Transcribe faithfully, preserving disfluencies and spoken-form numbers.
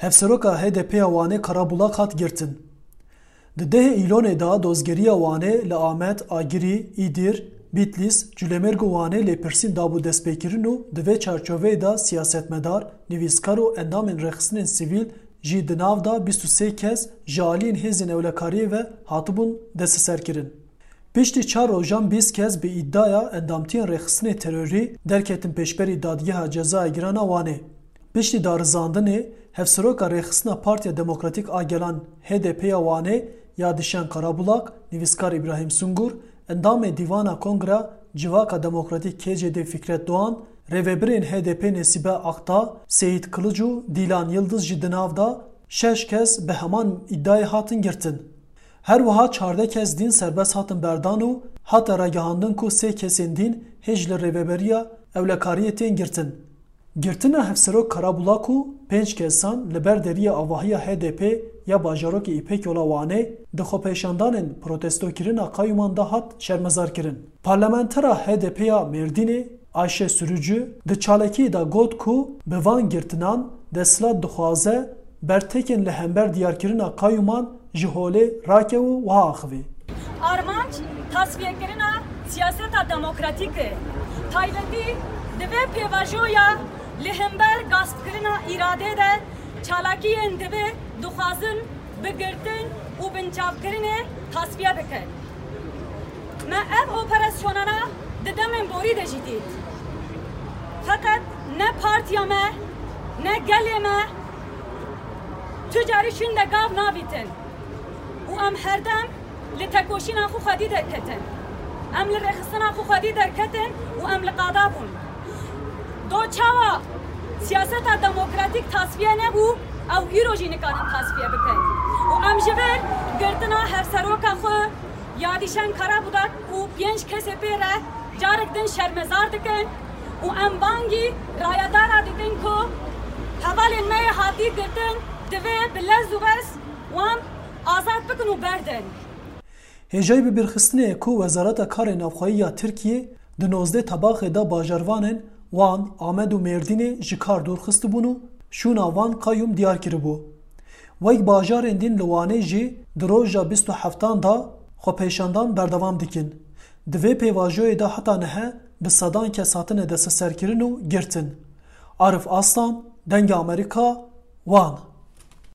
Hevseroka H D P ya Wanê Karabulak hat girtin. Di dehê Îlonê de dozgeriya Wanê li Amed, Agirî, Îdîr, Bîtlîs, Culemêrg û Wanê lêpirsîn dabû destpêkirin û di vê çarçoveyê de siyasetmedar, nivîskar û endamên rêxistinên sivîl jî di nav de bîst û sê kes ji aliyên hêzên ewlekariyê ve hatibûn desteserkirin. Piştî çar rojan bîst kes bi îdiaya endamtiyên rêxistinê terorî derketin pêşberî Dadgeha Cezaya Giran a Wanê. Piştî darizandinê, hevseroka rêxistina Partiya Demokratîk a Gelan H D P ya Wanê Yadişen Karabulak, nivîskar Îbrahîm Sungur, endamê Dîvana Kongra Civaka Demokratîk K C D Fikret Doğan, rêvebirên H D P Nesîbe Akta, Seyît Kilic û Dîlan Yildiz jî di nav de şeş kes bi heman îdiayê hatin girtin. Her wiha çardeh kes dîn serbest hatin berdan û hate ragihandin ku sê kesên dîn hêj li rêveberiya ewlekariyê tên girtin. Girtina Hevserok Karabulak û pênc kesan li ber deriyê avahiya H D P ya bajarokê Îpek Yola Wanê di xwepêşandanên protestokirina qayûman de hat şermezarkirin. Parlamentera H D P ya Mêrdînê Ayşe Sürücü di çalakiyê de got ku bi van girtinan desthilat dixwaze bertekên li hember diyarkirina qayûman ji holê rake û wiha axivî. Armanc tasfiyekirina siyaseta demokratîk e. Taybetî di vê pêvajoya li hember gaspkirina îradê de çalakiyên divê dixwazin bi girtin û binçavkirinê tasfiye bikin. Me ev operasyonana di demên borî de jî dît. Feqet ne partiya me, ne gelê me tu carî şûnde gav navîtin û em herdem li tekoşîna xwe xwedî derketin. Em li rêxistina xwe xwedî derketin û em li qada bûn. Do çawa siyaseta demokratîk tasfiye nebû, ew îro jî nikarin tasfiye bikin. Û em ji vir girtina hevseroka xwe Yadîşen Karabudak û pênc kesê pê re carek din şermezar dikin û em bangî rayedara dikin ku hevalên me yê hatî girtin divê bi lez û bez wan azad bikin û berdin. Hêjayî bibîrxistinê ye ku Wezareta Karê Navxweyî ya Tirkiyê di nozdeh Tebaxê de bajarvanên Wan, Amed û Mêrdînê ji kar dûr xistibûn û şûna van qayûm diyar kiribû. Wek bajarên din li Wanê jî di roja bîst û heftan de xwepêşandan berdewam dikin. Di vê pêvajoyê de heta niha bi sedan kes hatine desteserkirin û girtin. Arif Aslan, Dengê Amerîka, Wan.